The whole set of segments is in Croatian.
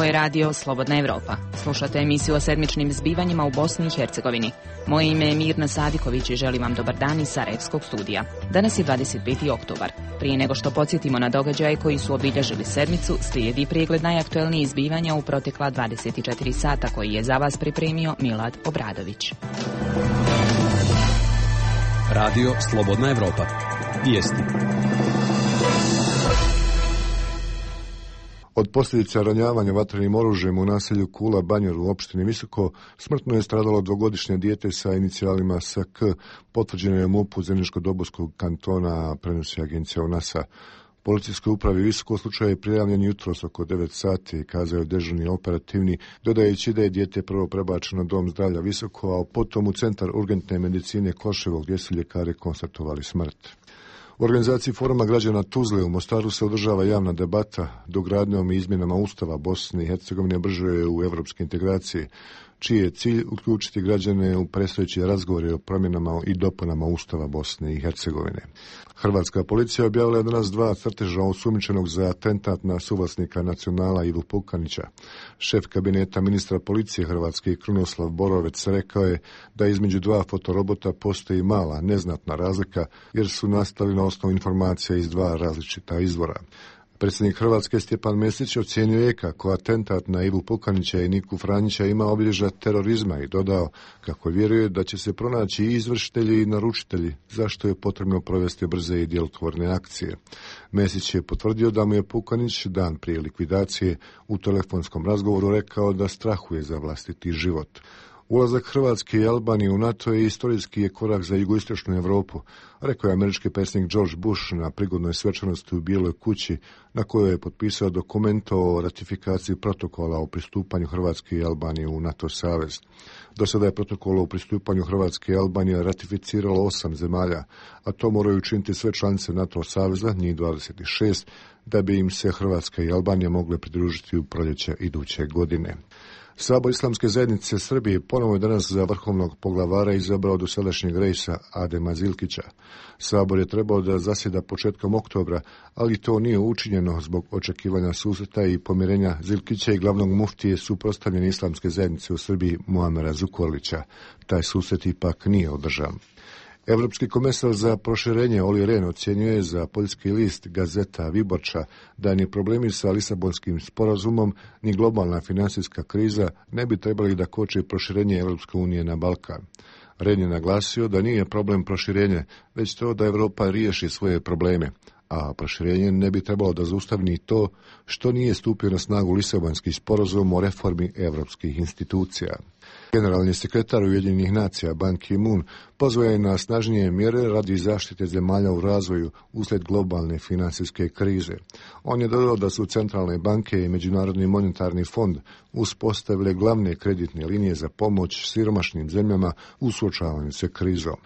Ovo je radio Slobodna Evropa. Slušate emisiju o sedmičnim zbivanjima u Bosni i Hercegovini. Moje ime je Mirna Sadiković i želim vam dobar dan iz Sarajevskog studija. Danas je 25. oktobar. Prije nego što podsjetimo na događaje koji su obilježili sedmicu, slijedi pregled najaktuelnijih zbivanja u protekla 24 sata koji je za vas pripremio Milad Obradović. Radio Slobodna Evropa. Vijesti. Od posljedica ranjavanja vatrenim oružjem u naselju Kula Banjer u opštini Visoko smrtno je stradalo dvogodišnje dijete sa inicijalima SK, potvrđeno je MUP-u Zeničko-Dobojskog kantona, prenosi agencija UNASA. Policijskoj upravi Visoko slučaj je prijavljen jutros oko 9 sati, kazao je dežurni operativni, dodajući da je dijete prvo prebačeno na dom zdravlja Visoko, a potom u centar urgentne medicine Koševo, gdje su ljekari konstatovali smrt. U organizaciji Foruma građana Tuzle u Mostaru se održava javna debata dogradnjom i izmjenama Ustava Bosne i Hercegovine brže u evropske integracije, čiji je cilj uključiti građane u predstojeće razgovore o promjenama i dopunama Ustava Bosne i Hercegovine. Hrvatska policija objavila je danas 2 crteža osumnjičenog za atentat na suvlasnika Nacionala Ivu Pukanića. Šef kabineta ministra policije Hrvatske Krunoslav Borovec rekao je da između 2 fotorobota postoji mala, neznatna razlika jer su nastali na osnovu informacija iz 2 različita izvora. Predsjednik Hrvatske Stjepan Mesić ocjenio je kako atentat na Ivu Pukanića i Niku Franjića ima obilježja terorizma i dodao kako vjeruje da će se pronaći i izvršitelji i naručitelji, zašto je potrebno provesti brze i djelotvorne akcije. Mesić je potvrdio da mu je Pukanić dan prije likvidacije u telefonskom razgovoru rekao da strahuje za vlastiti život. Ulazak Hrvatske i Albanije u NATO je istorijski korak za jugoistočnu Europu, rekao je američki predsjednik George Bush na prigodnoj svečanosti u Bijeloj kući, na kojoj je potpisao dokument o ratifikaciji protokola o pristupanju Hrvatske i Albanije u NATO savez. Do sada je protokol o pristupanju Hrvatske i Albanije ratificiralo 8 zemalja, a to moraju učiniti sve članice NATO saveza, njih 26, da bi im se Hrvatska i Albanija mogle pridružiti u proljeće iduće godine. Sabor Islamske zajednice Srbije ponovo je danas za vrhovnog poglavara izabrao dosadašnjeg rejsa Adema Zilkića. Sabor je trebao da zasjeda početkom oktobra, ali to nije učinjeno zbog očekivanja susreta i pomirenja Zilkića i glavnog muftije suprotstavljene Islamske zajednice u Srbiji Muamera Zukorlića. Taj susret ipak nije održan. Evropski komesar za proširenje Olli Rehn ocjenjuje za poljski list Gazeta Viborča da ni problemi sa Lisabonskim sporazumom ni globalna financijska kriza ne bi trebali da koče proširenje Evropske unije na Balkan. Rehn je naglasio da nije problem proširenje, već to da Evropa riješi svoje probleme, a proširenje ne bi trebalo da zaustavi ni to što nije stupio na snagu Lisabonski sporazum o reformi evropskih institucija. Generalni sekretar Ujedinjenih nacija Ban Ki-moon pozvao je na snažnije mjere radi zaštite zemalja u razvoju uslijed globalne financijske krize. On je dodao da su centralne banke i Međunarodni monetarni fond uspostavile glavne kreditne linije za pomoć siromašnim zemljama u suočavanju sa krizom.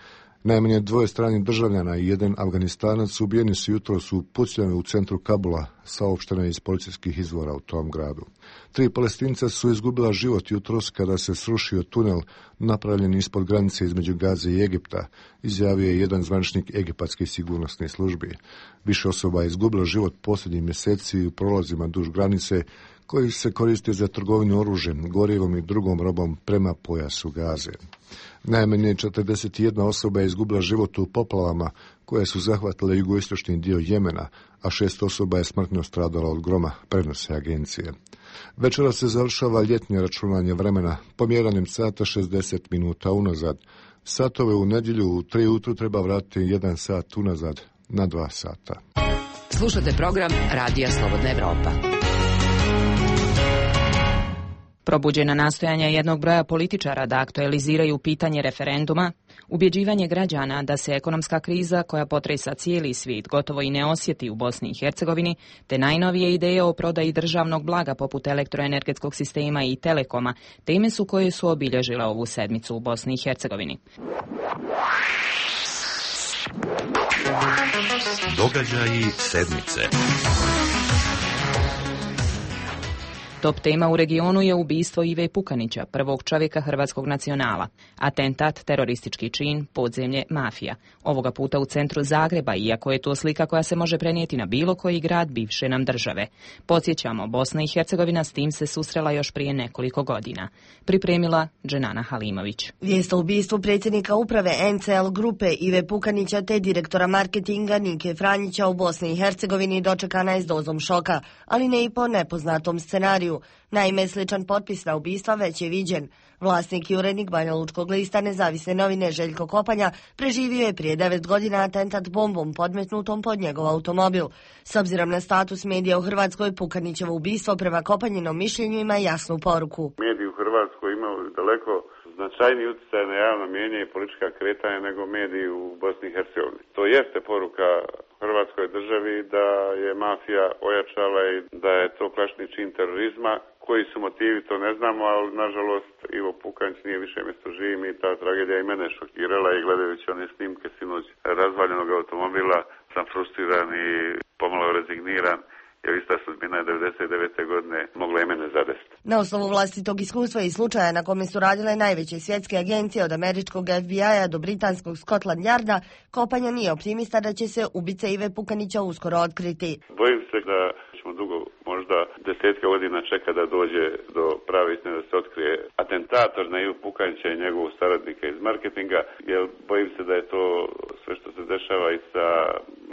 Najmanje 2 stranih državljana i 1 Afganistanac ubijeni su jutros u pucnjavi u centru Kabula, saopšteno je iz policijskih izvora u tom gradu. 3 Palestinca su izgubila život jutros kada se srušio tunel napravljen ispod granice između Gaze i Egipta, izjavio je jedan zvaničnik egipatske sigurnosne službe. Više osoba je izgubilo život posljednjih mjeseci u prolazima duž granice koji se koriste za trgovinu oružjem, gorivom i drugom robom prema pojasu Gaze. Najmanje 41 osoba je izgubila život u poplavama koje su zahvatile jugoistočni dio Jemena, a 6 osoba je smrtno stradalo od groma, prenose agencije. Večera se završava ljetnje računanje vremena, pomjeranjem sata 60 minuta unazad. Satove u nedjelju u 3 ujutru treba vratiti 1 sat unazad na 2 sata. Slušate program Radija Slobodna Evropa. Probuđena nastojanja jednog broja političara da aktualiziraju pitanje referenduma, ubjeđivanje građana da se ekonomska kriza koja potresa cijeli svijet gotovo i ne osjeti u Bosni i Hercegovini, te najnovije ideje o prodaji državnog blaga poput elektroenergetskog sistema i telekoma, teme su koje su obilježile ovu sedmicu u Bosni i Hercegovini. Događaji sedmice. Top tema u regionu je ubistvo Ive Pukanića, prvog čovjeka hrvatskog nacionala. Atentat, teroristički čin, podzemlje, mafija. Ovoga puta u centru Zagreba, iako je to slika koja se može prenijeti na bilo koji grad bivše nam države. Podsjećamo, Bosna i Hercegovina s tim se susrela još prije nekoliko godina. Pripremila Dženana Halimović. Vijest o ubistvu predsjednika uprave NCL grupe Ive Pukanića te direktora marketinga Nike Franjića u Bosni i Hercegovini dočekana je s dozom šoka, ali ne i po nepoznatom scenariju. Naime, sličan potpis na ubistva već je viđen. Vlasnik i urednik Banjalučkog lista Nezavisne novine Željko Kopanja preživio je prije 9 godina atentat bombom podmetnutom pod njegov automobil. S obzirom na status medija u Hrvatskoj, Pukanićevo ubistvo prema Kopanjinom mišljenju ima jasnu poruku. Mediji u Hrvatskoj imaju daleko značajniji utjecaj na javno mnijenje i politička kretanja nego mediji u Bosni i Hercegovini. To jeste poruka Hrvatskoj državi da je mafija ojačala i da je to klasični čin terorizma. Koji su motivi, to ne znamo, ali nažalost Ivo Pukanić nije više mjesto živim i ta tragedija i mene šokirala i gledajući one snimke sinoć razvaljenog automobila sam frustriran i pomalo rezigniran. Jer ista sudbina je 99. godine mogla i mene zadesiti. Na osnovu vlastitog iskustva i slučaja na kome su radile najveće svjetske agencije od američkog FBI-a do britanskog Scotland Yarda, Kopanja nije optimista da će se ubice Ive Pukanića uskoro otkriti. Bojim se da ćemo dugo, možda desetke godina čeka da dođe do prave istine, da se otkrije atentator na Ivu Pukanića i njegovog saradnika iz marketinga, jer bojim se da je to sve što se dešava i sa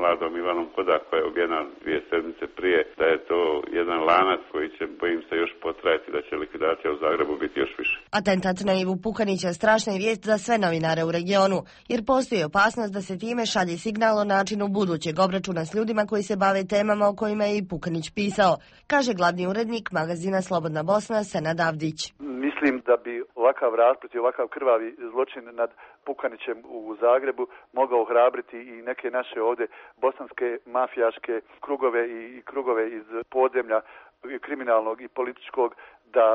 mladom Ivanom Kodak koja je ubijena 2 sedmice prije, da je to jedan lanac koji će, bojim se, još potrajati, da će likvidacija u Zagrebu biti još više. Atentat na Ivu Pukanića strašna je vijest za sve novinare u regionu, jer postoji opasnost da se time šalje signal o načinu budućeg obračuna s ljudima koji se bave temama o kojima je i Pukanić pisao, kaže glavni urednik magazina Slobodna Bosna Senad Avdić. Mislim da bi ovakav rasplet i ovakav krvavi zločin nad Pukanićem u Zagrebu mogao ohrabriti i neke naše ovdje bosanske mafijaške krugove i krugove iz podzemlja kriminalnog i političkog da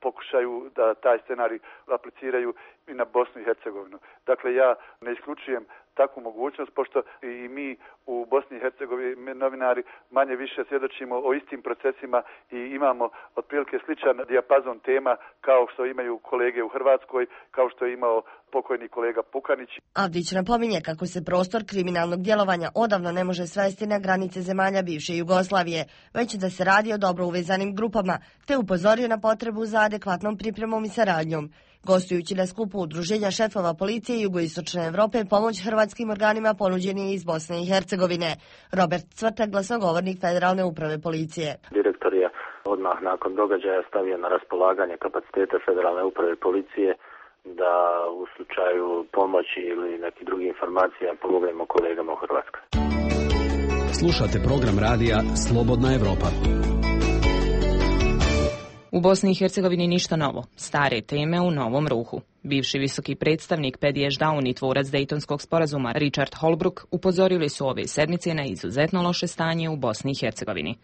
pokušaju da taj scenarij apliciraju i na Bosnu i Hercegovinu. Dakle, ja ne isključujem takvu mogućnost, pošto i mi u Bosni i Hercegovini novinari manje više svjedočimo o istim procesima i imamo otprilike sličan dijapazon tema kao što imaju kolege u Hrvatskoj, kao što je imao pokojni kolega Pukanić. Avdić napominje kako se prostor kriminalnog djelovanja odavno ne može svesti na granice zemalja bivše Jugoslavije, već da se radi o dobro uvezanim grupama, te upozorio na potrebu za adekvatnom pripremom i saradnjom. Gostujući na skupu udruženja šefova policije Jugoistočne Europe, pomoć hrvatskim organima ponuđen je iz Bosne i Hercegovine. Robert Cvrtak, glasnogovornik Federalne uprave policije. Direktor je odmah nakon događaja stavio na raspolaganje kapacitete Federalne uprave policije da u slučaju pomoći ili nekih drugih informacija pomognemo kolegama u Hrvatskoj. Slušate program radija Slobodna Evropa. U Bosni i Hercegovini ništa novo, stare teme u novom ruhu. Bivši visoki predstavnik Paddy Ashdown i tvorac Dejtonskog sporazuma Richard Holbrooke upozorili su ove sedmice na izuzetno loše stanje u Bosni i Hercegovini.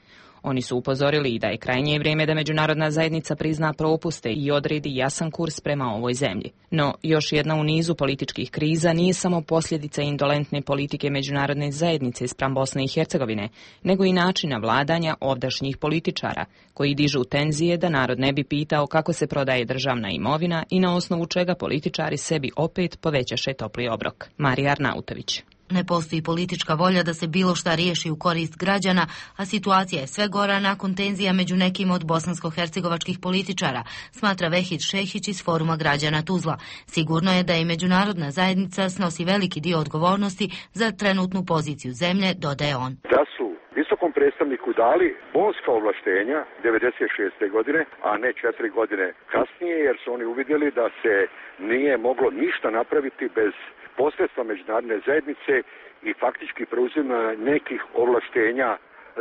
Oni su upozorili i da je krajnje vrijeme da međunarodna zajednica prizna propuste i odredi jasan kurs prema ovoj zemlji. No, još jedna u nizu političkih kriza nije samo posljedica indolentne politike međunarodne zajednice spram Bosne i Hercegovine, nego i načina vladanja ovdašnjih političara, koji dižu tenzije da narod ne bi pitao kako se prodaje državna imovina i na osnovu čega političari sebi opet povećaše topli obrok. Marija Arnautović. Ne postoji politička volja da se bilo šta riješi u korist građana, a situacija je sve gora nakon tenzija među nekim od bosansko-hercegovačkih političara, smatra Vehid Šehić iz Foruma građana Tuzla. Sigurno je da i međunarodna zajednica snosi veliki dio odgovornosti za trenutnu poziciju zemlje, dodaje on. Da su visokom predstavniku dali bonska ovlaštenja 96. godine, a ne 4 godine kasnije, jer su oni uvidjeli da se nije moglo ništa napraviti bez posredstva međunarodne zajednice i faktički preuzima nekih ovlaštenja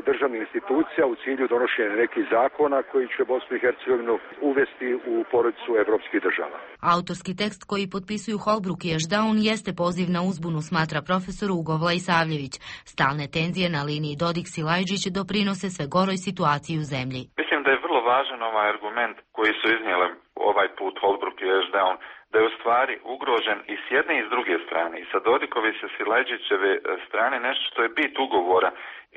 državnih institucija u cilju donošenja nekih zakona koji će Bosnu i Hercegovinu uvesti u porodicu evropskih država. Autorski tekst koji potpisuju Holbrooke i Ashdown jeste poziv na uzbunu, smatra profesor Ugovla Isavljević. Stalne tenzije na liniji Dodik-Silajđić doprinose sve goroj situaciji u zemlji. Mislim da je vrlo važan ovaj argument koji su iznijeli ovaj put Holbrooke i Ashdown, da je u stvari ugrožen i s jedne i s druge strane, i sa Dodikove i sa Silajdžićeve strane nešto što je bit ugovora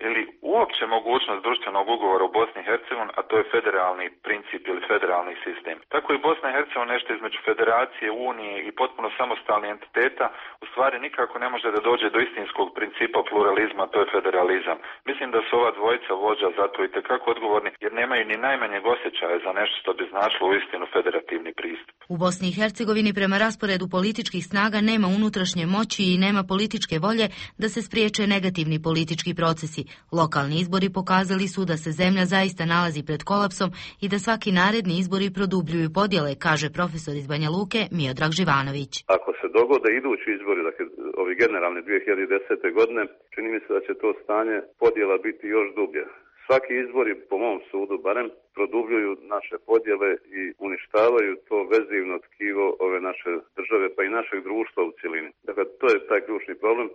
ili uopće mogućnost društvenog ugovora u Bosni i Hercegovini, a to je federalni princip ili federalni sistem. Tako i Bosna i Hercegovina nešto između federacije, unije i potpuno samostalnih entiteta u stvari nikako ne može da dođe do istinskog principa pluralizma, to je federalizam. Mislim da su ova dvojica vođa zato i tekako odgovorni, jer nemaju ni najmanjeg osjećaja za nešto što bi značilo uistinu federativni pristup. U Bosni i Hercegovini prema rasporedu političkih snaga nema unutrašnje moći i nema političke volje da se spriječe negativni politički procesi. Lokalni izbori pokazali su da se zemlja zaista nalazi pred kolapsom i da svaki naredni izbori produbljuju podjele, kaže profesor iz Banja Luke Miodrag Živanović. Ako se dogode idući izbori, dakle ovi generalni 2010. godine, čini mi se da će to stanje podjela biti još dublje. Svaki izbori, po mom sudu barem, produbljuju naše podjele i uništavaju to vezivno tkivo ove naše države, pa i našeg društva u cjelini. Dakle, to je taj ključni problem.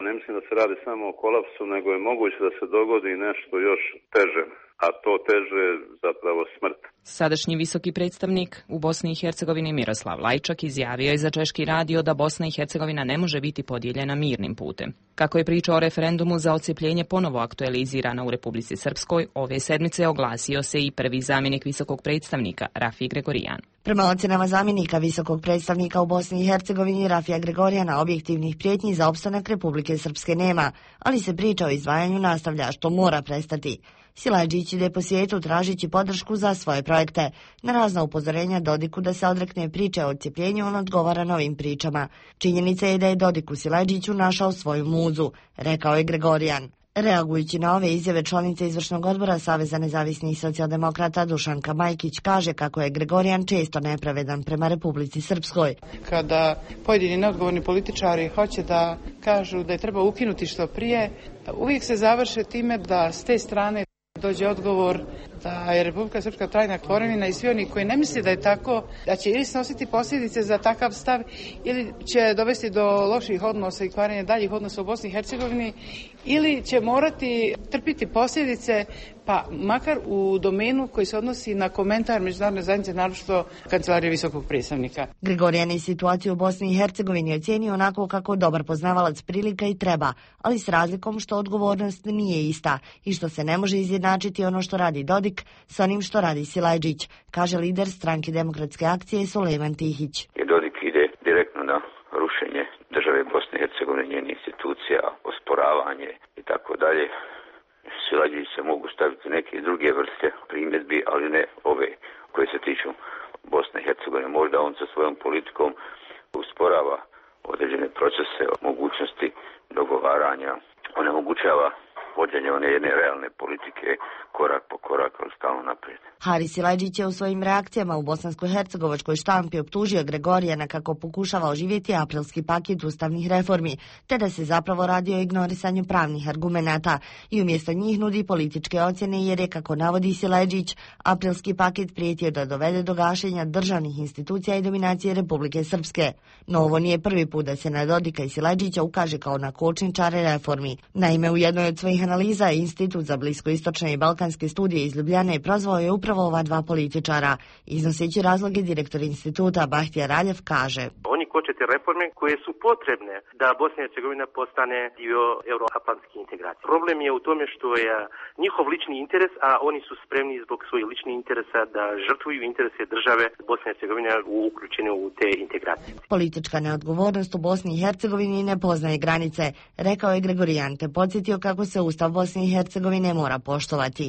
Ne mislim da se radi samo o kolapsu, nego je moguće da se dogodi nešto još teže, a to teže je zapravo smrt. Sadašnji visoki predstavnik u Bosni i Hercegovini Miroslav Lajčak izjavio je za Češki radio da Bosna i Hercegovina ne može biti podijeljena mirnim putem. Kako je priča o referendumu za odcepljenje ponovo aktualizirana u Republici Srpskoj, ove sedmice oglasio se i prvi zamjenik visokog predstavnika Rafij Gregorijan. Prema ocjenama zamjenika visokog predstavnika u Bosni i Hercegovini Rafija Gregorijana, objektivnih prijetnji za opstanak Republike Srpske nema, ali se priča o izdvajanju nastavlja, što mora prestati. Silajdžić ide po svijetu tražići podršku za svoje projekte. Na razna upozorenja Dodiku da se odrekne priče o odcepljenju, on odgovara novim pričama. Činjenica je da je Dodik u Silajdžiću našao svoju muzu, rekao je Gregorijan. Reagujući na ove izjave, članice izvršnog odbora Saveza nezavisnih socijaldemokrata Dušanka Majkić kaže kako je Gregorijan često nepravedan prema Republici Srpskoj. Kada pojedini neodgovorni političari hoće da kažu da je treba ukinuti što prije, uvijek se završe time da s te strane dođe odgovor da je Republika Srpska trajna tvorevina i svi oni koji ne misle da je tako, da će ili snositi posljedice za takav stav ili će dovesti do loših odnosa i kvarenja daljih odnosa u Bosni i Hercegovini ili će morati trpiti posljedice, pa makar u domenu koji se odnosi na komentar međunarodne zajednice, naročito Kancelarije visokog predstavnika. Gregorijan je situaciju u Bosni i Hercegovini ocenio onako kako dobar poznavalac prilika i treba, ali s razlikom što odgovornost nije ista i što se ne može izjednačiti ono što radi Dodik s onim što radi Silajdžić, kaže lider stranke Demokratske akcije Sulejman Tihić. Dodik ide direktno na rušenje države Bosne i Hercegovine, njenih institucija, osporavanje i tako dalje. Silajdžić se mogu staviti neke druge vrste primjedbi, ali ne ove koje se tiču Bosne i Hercegovine. Možda on sa svojom politikom usporava određene procese, mogućnosti dogovaranja, onemogućava vođenje one jedne realne politike korak po korak, ali stalno naprijed. Haris Silajdžić je u svojim reakcijama u bosansko-hercegovačkoj štampi optužio Gregorijana kako pokušava oživjeti aprilski paket ustavnih reformi, te da se zapravo radi o ignorisanju pravnih argumenata i umjesto njih nudi političke ocjene jer je, kako navodi Silajdžić, aprilski paket prijetio da dovede do gašenja državnih institucija i dominacije Republike Srpske. No ovo nije prvi put da se na Dodika i Silajdžića ukaže kao na kočničare reformi. Naime, u jednoj od svojih analiza Institut za bliskoistočne i balkanske studije iz Ljubljane prozvao je upravo ova dva političara. Iznoseći razloge, direktor instituta Bahtija Raljev kaže: Oni koče te reforme koje su potrebne da Bosna i Hercegovina postane dio euroatlantske integracije. Problem je u tome što je njihov lični interes, a oni su spremni zbog svojih ličnih interesa da žrtvuju interese države Bosne i Hercegovine uključene u te integracije. Politička neodgovornost u Bosni i Hercegovini ne poznaje granice, rekao je Gregorijan, te podsjetio kako se Ustav Bosne i Hercegovine mora poštovati.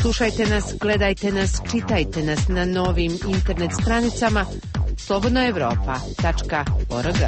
Slušajte nas, gledajte nas, čitajte nas na novim internet stranicama slobodnaevropa.org.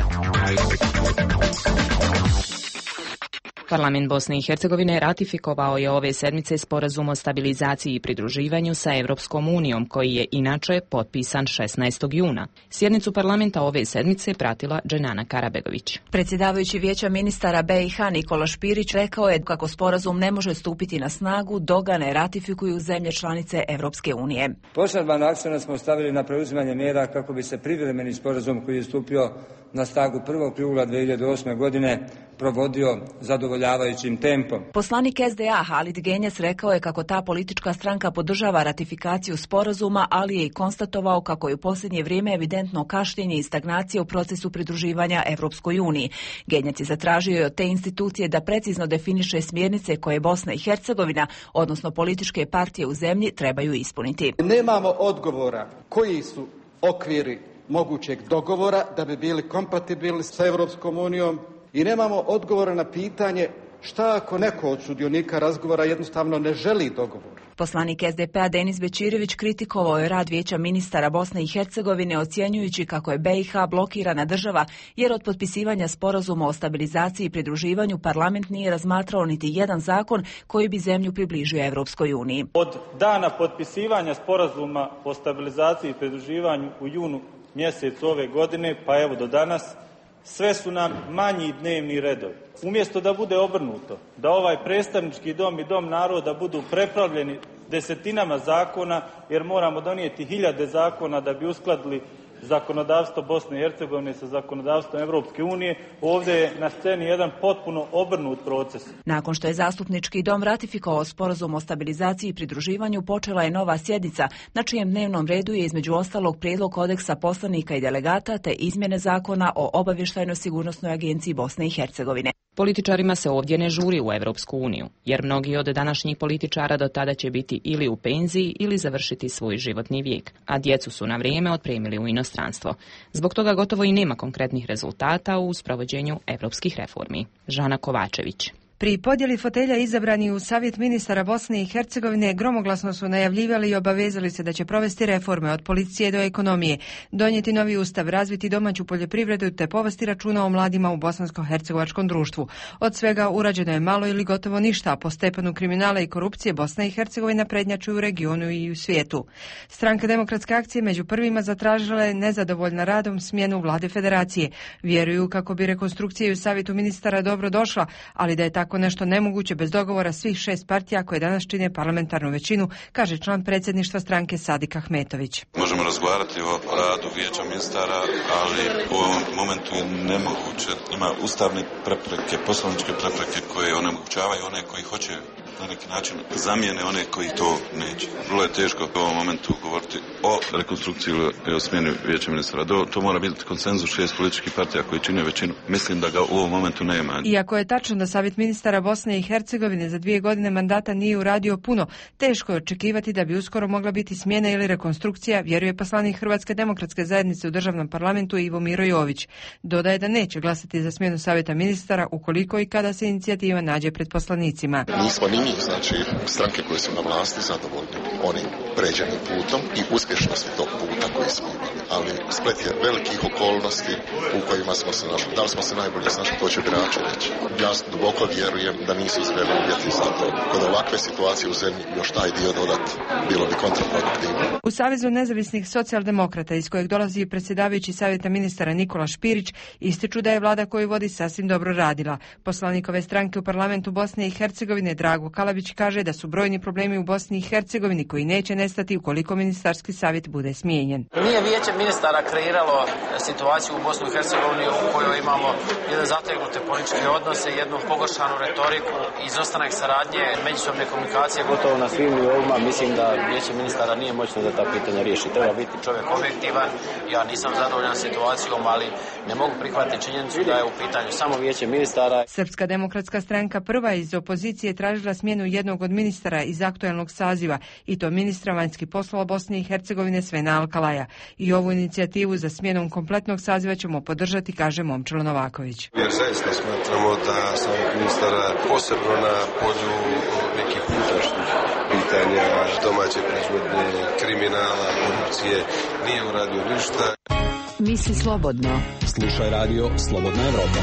Parlament Bosne i Hercegovine ratifikovao je ove sedmice sporazum o stabilizaciji i pridruživanju sa Evropskom unijom, koji je inače potpisan 16. juna. Sjednicu parlamenta ove sedmice pratila Dženana Karabegović. Predsjedavajući Vijeća ministara BiH Nikola Špirić rekao je kako sporazum ne može stupiti na snagu dok ga ne ratifikuju zemlje članice Evropske unije. Poseban akcent smo stavili na preuzimanje mjera kako bi se privremeni sporazum koji je stupio na snagu 1. jula 2008. godine provodio zadovoljavajućim tempom. Poslanik SDA Halid Genjes rekao je kako ta politička stranka podržava ratifikaciju sporazuma, ali je i konstatovao kako je u posljednje vrijeme evidentno kašnjenje i stagnacija u procesu pridruživanja Evropskoj uniji. Genjes je zatražio od te institucije da precizno definiše smjernice koje Bosna i Hercegovina, odnosno političke partije u zemlji, trebaju ispuniti. Nemamo odgovora koji su okviri mogućeg dogovora da bi bili kompatibilni sa Evropskom unijom i nemamo odgovora na pitanje šta ako neko od sudionika razgovora jednostavno ne želi dogovor. Poslanik SDP-a Denis Bećirević kritikovao je rad Vijeća ministara Bosne i Hercegovine, ocjenjujući kako je BiH blokirana država jer od potpisivanja sporazuma o stabilizaciji i pridruživanju parlament nije razmatrao niti jedan zakon koji bi zemlju približio Evropskoj uniji. Od dana potpisivanja sporazuma o stabilizaciji i pridruživanju u junu mjesecu ove godine pa evo do danas, sve su nam manji dnevni redovi. Umjesto da bude obrnuto, da ovaj predstavnički dom i dom naroda budu prepravljeni desetinama zakona, jer moramo donijeti hiljade zakona da bi uskladili zakonodavstvo Bosne i Hercegovine sa zakonodavstvom Evropske unije, ovdje je na sceni jedan potpuno obrnut proces. Nakon što je zastupnički dom ratifikovao sporazum o stabilizaciji i pridruživanju, počela je nova sjednica, na čijem dnevnom redu je između ostalog prijedlog kodeksa poslanika i delegata te izmjene zakona o obavještajno-sigurnosnoj agenciji Bosne i Hercegovine. Političarima se ovdje ne žuri u Evropsku uniju, jer mnogi od današnjih političara do tada će biti ili u penziji ili završiti svoj životni vijek, a djecu su na vrijeme otpremili u inostranstvo. Zbog toga gotovo i nema konkretnih rezultata u sprovođenju evropskih reformi. Žana Kovačević. Pri podjeli fotelja izabrani u Savjet ministara Bosne i Hercegovine gromoglasno su najavljivali i obavezali se da će provesti reforme od policije do ekonomije, donijeti novi ustav, razviti domaću poljoprivredu te povesti računa o mladima u bosansko-hercegovačkom društvu. Od svega urađeno je malo ili gotovo ništa, a po stepenu kriminala i korupcije Bosna i Hercegovina prednjači u regionu i u svijetu. Stranka Demokratske akcije među prvima zatražila je nezadovoljna radom smjenu vlade federacije. Vjeruju kako bi rekonstrukcija u Savjetu ministara dobro došla, ali da je tako nešto nemoguće bez dogovora svih 6 partija koje danas čine parlamentarnu većinu, kaže član predsjedništva stranke Sadik Ahmetović. Možemo razgovarati o radu Vijeća ministara, ali u ovom momentu je nemoguće. Ima ustavne prepreke, poslovničke prepreke koje onemogućavaju one koji hoće na neki način zamijene one koji to neće. Vrlo je teško u ovom momentu govoriti o rekonstrukciji ili o smjeni Vijeća ministara. To mora biti konsenzus 6 političkih partija koji čine većinu. Mislim da ga u ovom momentu nema. Iako je tačno da Savjet ministara Bosne i Hercegovine za 2 godine mandata nije uradio puno, teško je očekivati da bi uskoro mogla biti smjena ili rekonstrukcija, vjeruje poslanik Hrvatske demokratske zajednice u državnom parlamentu Ivo Miro Jović. Dodaje da neće glasati za smjenu Savjeta ministara ukoliko i kada se inicijativa nađe pred poslanicima. Nismo ni mi, znači stranke koje su na vlasti zadovoljni onim pređenim putom i uspješnosti tog puta koji smo imali. Ali splet je velikih okolnosti u kojima smo se našli. Da li smo se najbolje snašli, to će birači reći. Ja duboko vjerujem da nisu izgledali uvjeti za to. Kod ovakve situacije u zemlji još taj dio dodati bilo bi kontraproduktivno. U Savezu nezavisnih socijaldemokrata, iz kojeg dolazi predsjedavajući Savjeta ministara Nikola Špirić, ističu da je vlada koju vodi sasvim dobro radila. Poslanik ove stranke u parlamentu Bosne i Hercegovine Drago Kalabić kaže da su brojni problemi u Bosni i Hercegovini koji neće nestati ukoliko ministarski savjet bude smijenjen. Nije Vijeće ministara kreiralo situaciju u Bosni i Hercegovini u kojoj imamo jedan zategnute političke odnose, jednu pogoršanu retoriku, izostanak saradnje, međusobne komunikacije. Gotovo na svim nivoima mislim da Vijeće ministara nije moćno da ta pitanja riješi. Treba biti čovjek objektivan. Ja nisam zadovoljan situacijom, ali ne mogu prihvatiti činjenicu da je u pitanju samo Vijeće ministara. Srpska demokratska stranka prva iz opozicije tražila smjenu jednog od ministara iz aktualnog saziva, i to ministra vanjskih poslova Bosne i Hercegovine Svena Alkalaja. I ovu inicijativu za smjenom kompletnog saziva ćemo podržati, kaže Momčilo Novaković. Jer zaista smatramo da savjet ministara posebno na polju nekih unutrašnjih pitanja, domaće proizvodnje, kriminala, korupcije nije uradio ništa. Misli slobodno. Slušaj radio Slobodna Evropa.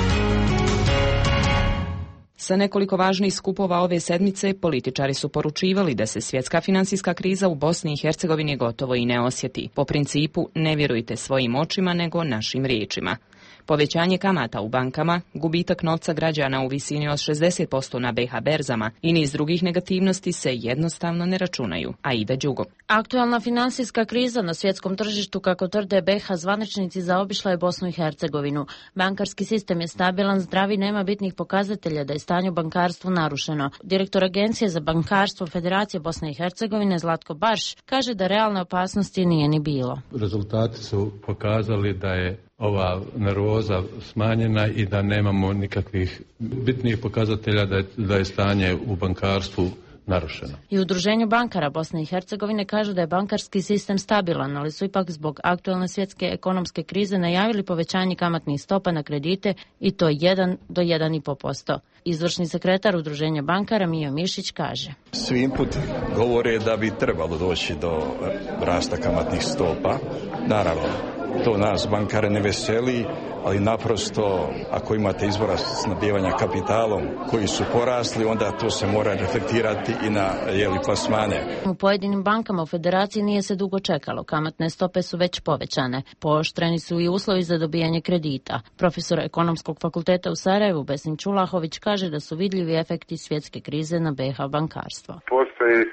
Sa nekoliko važnih skupova ove sedmice političari su poručivali da se svjetska financijska kriza u Bosni i Hercegovini gotovo i ne osjeti. Po principu ne vjerujte svojim očima nego našim riječima. Povećanje kamata u bankama, gubitak novca građana u visini od 60% na BiH berzama i niz drugih negativnosti se jednostavno ne računaju. Aida Đugo. Aktualna finansijska kriza na svjetskom tržištu, kako tvrde BiH zvaničnici, zaobišla je Bosnu i Hercegovinu. Bankarski sistem je stabilan, zdrav i nema bitnih pokazatelja da je stanje u bankarstvu narušeno. Direktor Agencije za bankarstvo Federacije Bosne i Hercegovine Zlatko Barš kaže da realne opasnosti nije ni bilo. Rezultati su pokazali da je ova nervoza smanjena i da nemamo nikakvih bitnih pokazatelja da je stanje u bankarstvu narušeno. I Udruženju bankara Bosne i Hercegovine kažu da je bankarski sistem stabilan, ali su ipak zbog aktualne svjetske ekonomske krize najavili povećanje kamatnih stopa na kredite i to 1 do 1,5%. Izvršni sekretar Udruženja bankara Mijo Mišić kaže: Svi inputi govore da bi trebalo doći do rasta kamatnih stopa. Naravno, to nas bankare ne veseli, ali naprosto ako imate izvora snabdijevanja kapitalom koji su porasli, onda to se mora reflektirati i na plasmane. U pojedinim bankama u Federaciji nije se dugo čekalo. Kamatne stope su već povećane. Pooštreni su i uslovi za dobijanje kredita. Profesor Ekonomskog fakulteta u Sarajevu Besim Čulahović kaže da su vidljivi efekti svjetske krize na BiH bankarstvo. Postoji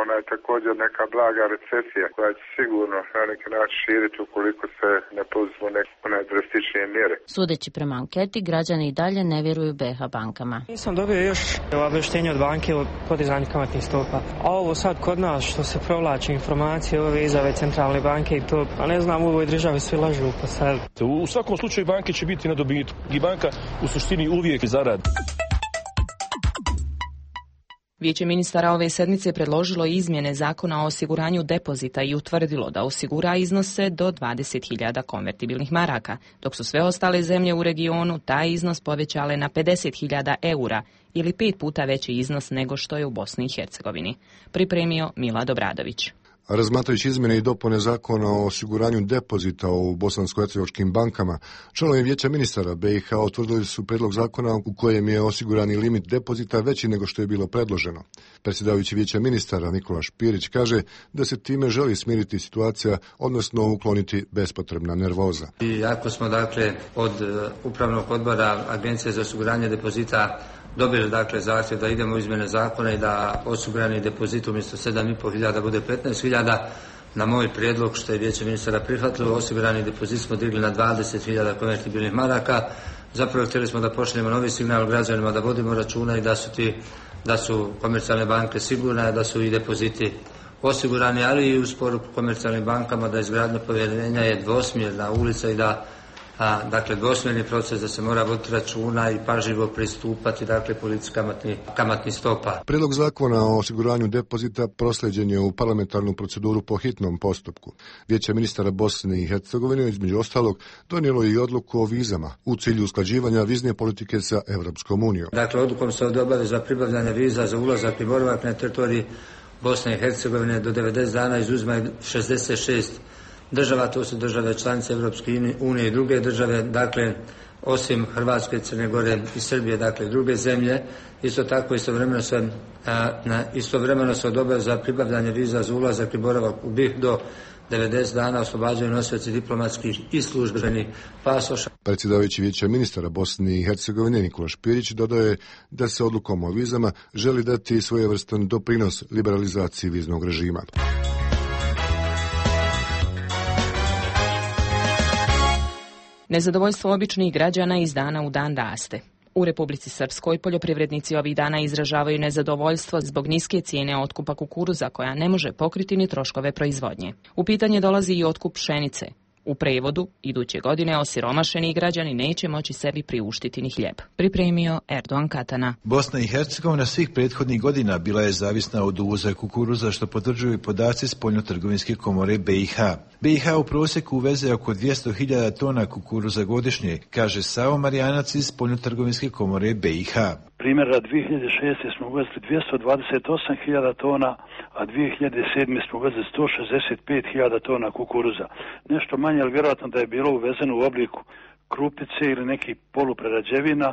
ona je također neka blaga recesija koja će sigurno na neki način širiti ukoliko se ne poduzmu neke drastičnije mjere. Sudeći prema anketi, građani i dalje ne vjeruju BiH bankama. Nisam dobio još obavještenje od banke o podizanju kamatnih stopa. A ovo sad kod nas što se provlači informacije ove izjave centralne banke i to, a ne znam, u ovoj državi svi lažu pa sad. U svakom slučaju banke će biti na dobitku i banka u suštini uvijek zaradi. Vijeće ministara ove sedmice predložilo izmjene zakona o osiguranju depozita i utvrdilo da osigura iznose do 20.000 konvertibilnih maraka, dok su sve ostale zemlje u regionu taj iznos povećale na 50.000 eura ili 5 puta veći iznos nego što je u Bosni i Hercegovini. Pripremio Milad Obradović. Razmatrajući izmjene i dopune zakona o osiguranju depozita u bosansko-hercegovačkim bankama, članovi Vijeća ministara BiH utvrdili su prijedlog zakona u kojem je osigurani limit depozita veći nego što je bilo predloženo. Predsjedavajući Vijeća ministara Nikola Špirić kaže da se time želi smiriti situacija, odnosno ukloniti bespotrebna nervoza. I ako smo od upravnog odbora Agencije za osiguranje depozita dobili zahtjev da idemo u izmjene zakona i da osigurani depozit umjesto 7.500 bude 15.000, na moj prijedlog što je Vijeće ministara prihvatilo, osigurani depozit smo digli na 20.000 konvertibilnih maraka. Zapravo htjeli smo da pošaljemo novi signal građanima da vodimo računa i da su komercijalne banke sigurne, da su i depoziti osigurani, ali i uz poruku komercijalnim bankama da izgradnja povjerenja je dvosmjerna ulica i da dvosmjerni proces, da se mora voditi računa i pažljivo pristupati politici kamatnih stopa. Prijedlog zakona o osiguranju depozita proslijeđen je u parlamentarnu proceduru po hitnom postupku. Vijeće ministara Bosne i Hercegovine između ostalog donijelo i odluku o vizama u cilju usklađivanja vizne politike sa Europskom unijom. Odlukom se obaveza pribavljanja viza za ulazak i boravak na teritoriji Bosne i Hercegovine do 90 dana izuzima 66 država, to su države članice Europske unije i druge države, osim Hrvatske, Crne Gore i Srbije, druge zemlje. Isto tako istovremeno se obaveza pribavljanje viza za ulazak i boravak u BiH do 90 dana oslobađaju nosioci diplomatskih i službenih pasoša. Predsjedavajući Vijeća ministara Bosne i Hercegovine Nikola Špirić dodaje da se odlukom o vizama želi dati svojevrstan doprinos liberalizaciji viznog režima. Nezadovoljstvo običnih građana iz dana u dan raste. U Republici Srpskoj poljoprivrednici ovih dana izražavaju nezadovoljstvo zbog niske cijene otkupa kukuruza koja ne može pokriti ni troškove proizvodnje. U pitanje dolazi i otkup pšenice. U prevodu, iduće godine osiromašeni građani neće moći sebi priuštiti ni hljeb. Pripremio Erdogan Katana. Bosna i Hercegovina svih prethodnih godina bila je zavisna od uvoza kukuruza, što potvrđuju podaci Spoljnotrgovinske komore BiH. BiH u prosjeku uveze oko 200.000 tona kukuruza godišnje, kaže Savo Marijanac iz Spoljnotrgovinske komore BiH. Primjera 2006. smo uvezli 228.000 tona, a 2007. smo uvezli 165.000 tona kukuruza. Nešto manje, ali vjerojatno da je bilo uvezeno u obliku krupice ili nekih poluprerađevina,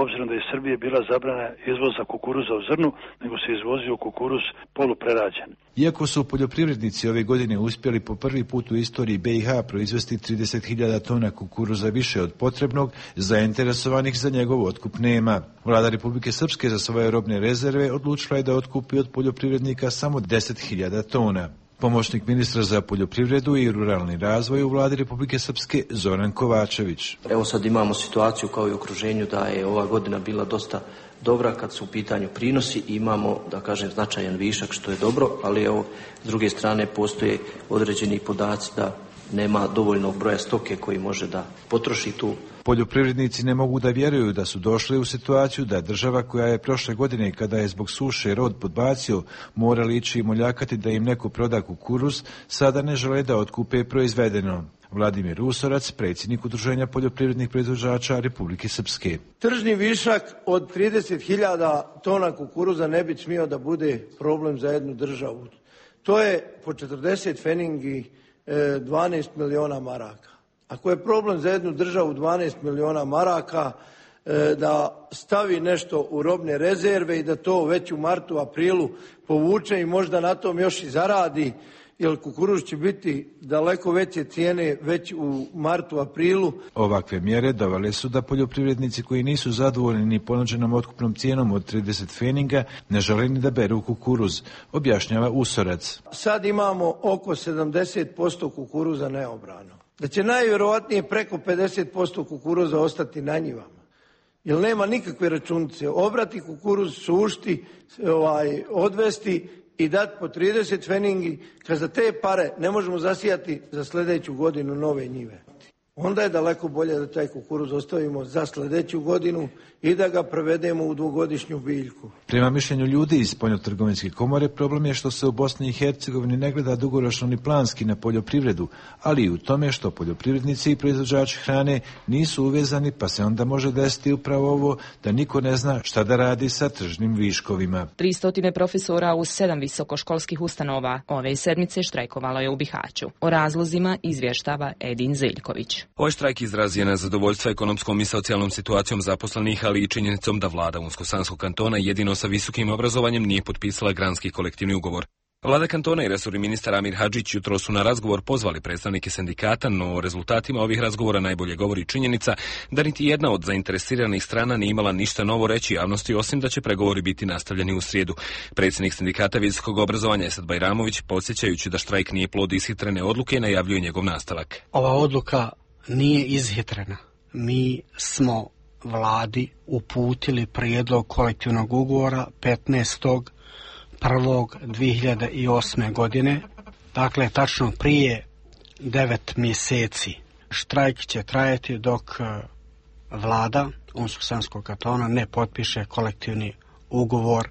obzirom da je Srbije bila zabrana izvoza kukuruza u zrnu, nego se izvozio kukuruz poluprerađen. Iako su poljoprivrednici ove godine uspjeli po prvi put u istoriji BiH proizvesti 30.000 tona kukuruza više od potrebnog, zainteresovanih za njegov otkup nema. Vlada Republike Srpske za svoje robne rezerve odlučila je da otkupi od poljoprivrednika samo 10.000 tona. Pomoćnik ministra za poljoprivredu i ruralni razvoj u Vladi Republike Srpske Zoran Kovačević. Evo sad imamo situaciju kao i u okruženju da je ova godina bila dosta dobra kad su u pitanju prinosi i imamo, da kažem, značajan višak što je dobro, ali evo s druge strane postoje određeni podaci da nema dovoljnog broja stoke koji može da potroši tu. Poljoprivrednici ne mogu da vjeruju da su došli u situaciju da država koja je prošle godine, kada je zbog suše rod podbacio, morali ići i moljakati da im neko proda kukuruz, sada ne žele da otkupe proizvedeno. Vladimir Usorac, predsjednik Udruženja poljoprivrednih proizvođača Republike Srpske. Tržni višak od 30.000 tona kukuruza ne bi smio da bude problem za jednu državu. To je po 40 feningi 12 miliona maraka. Ako je problem za jednu državu 12 miliona maraka, da stavi nešto u robne rezerve i da to već u martu, aprilu povuče i možda na tom još i zaradi, jer kukuruz će biti daleko veće cijene već u martu, aprilu. Ovakve mjere dovele su da poljoprivrednici koji nisu zadovoljni ni ponuđenom otkupnom cijenom od 30 feninga ne žele ni da beru kukuruz, objašnjava Usorac. Sad imamo oko 70% kukuruza neobrano. Da će najvjerovatnije preko 50% kukuruza ostati na njivama. Jer nema nikakve računice. Obrati kukuruz, sušti, odvesti i dati po 30 feningi, kad za te pare ne možemo zasijati za sljedeću godinu nove njive. Onda je daleko bolje da taj kukuruz ostavimo za sljedeću godinu i da ga prevedemo u dvogodišnju biljku. Prema mišljenju ljudi iz Spoljnotrgovinske komore, problem je što se u Bosni i Hercegovini ne gleda dugoročno ni planski na poljoprivredu, ali i u tome što poljoprivrednici i proizvođači hrane nisu uvezani, pa se onda može desiti upravo ovo da niko ne zna šta da radi sa tržnim viškovima. 300 profesora u 7 visokoškolskih ustanova ove sedmice štrajkovalo je u Bihaću. O razlozima izvještava Edin Zeljković. Ovaj štrajk izraz je nezadovoljstva ekonomskom i socijalnom situacijom zaposlenih, ali i činjenicom da vlada Unsko-Sanskog kantona jedino sa visokim obrazovanjem nije potpisala granski kolektivni ugovor. Vlada kantona i resorni ministar Amir Hadžić jutro su na razgovor pozvali predstavnike sindikata, no o rezultatima ovih razgovora najbolje govori činjenica da niti jedna od zainteresiranih strana nije imala ništa novo reći javnosti, osim da će pregovori biti nastavljeni u srijedu. Predsjednik sindikata visokog obrazovanja Esad Bajramović, podsjećajući da štrajk nije plod ishitrene odluke, najavljuje njegov nastavak. Ova odluka nije ishitrena. Mi smo vladi uputili prijedlog kolektivnog ugovora 15.1.2008. godine, dakle tačno prije 9 mjeseci. Štrajk će trajati dok vlada Unsko-Sanskog kantona ne potpiše kolektivni ugovor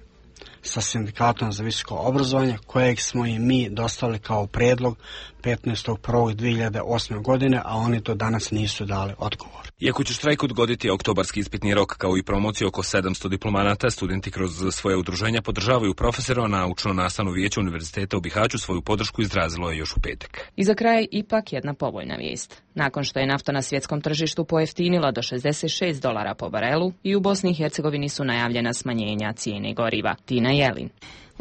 sa sindikatom za visoko obrazovanje, kojeg smo i mi dostavili kao prijedlog 15.1.2008. godine, a oni do danas nisu dali odgovor. Iako će štrajk odgoditi oktobarski ispitni rok kao i promociju oko 700 diplomanata, studenti kroz svoje udruženja podržavaju profesora, a naučno-nastavno vijeće Univerziteta u Bihaću svoju podršku izrazilo je još u petak. I za kraj ipak jedna povoljna vijest. Nakon što je nafta na svjetskom tržištu pojeftinila do $66 po barelu, i u Bosni i Hercegovini su najavljena smanjenja cijene goriva. Tina Jelin.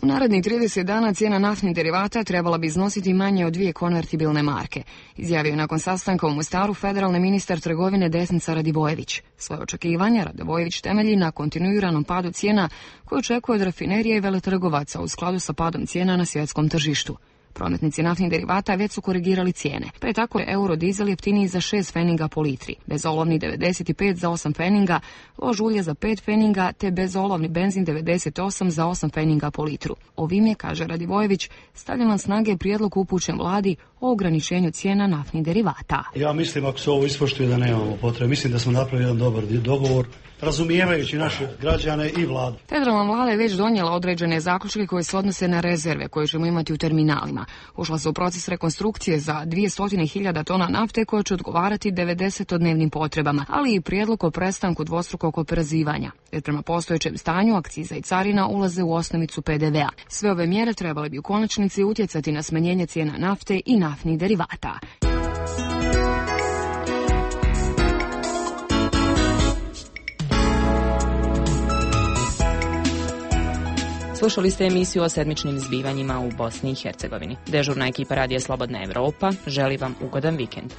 U narednih 30 dana cijena naftnih derivata trebala bi iznositi manje od 2 konvertibilne marke, izjavio nakon sastanka u Mostaru federalni ministar trgovine Desnica Radivojević. Svoje očekivanja Radivojević temelji na kontinuiranom padu cijena koje očekuje od rafinerije i veletrgovaca u skladu sa padom cijena na svjetskom tržištu. Prometnici naftnih derivata već su korigirali cijene, pa je tako eurodizel jeftiniji za 6 feninga po litri, bezolovni 95 za 8 feninga, lož ulje za 5 feninga, te bezolovni benzin 98 za 8 feninga po litru. Ovim je, kaže Radivojević, stavljen na snage prijedlog upućen vladi o ograničenju cijena naftnih derivata. Ja mislim, ako se ovo ispoštuje, da nemamo potrebe. Mislim da smo napravili jedan dobar dogovor, razumijevajući naše građane i vladu. Federalna vlada je već donijela određene zaključke koje se odnose na rezerve koje ćemo imati u terminalima. Ušla se u proces rekonstrukcije za 200.000 tona nafte koje će odgovarati 90-dnevnim potrebama, ali i prijedlog o prestanku dvostrukog oporezivanja, jer prema postojećem stanju akciza i carina ulaze u osnovicu PDV-a. Sve ove mjere trebale bi u konačnici utjecati na smanjenje cijena nafte i naftnih derivata. Slušali ste emisiju o sedmičnim zbivanjima u Bosni i Hercegovini. Dežurna ekipa Radija Slobodna Evropa želi vam ugodan vikend.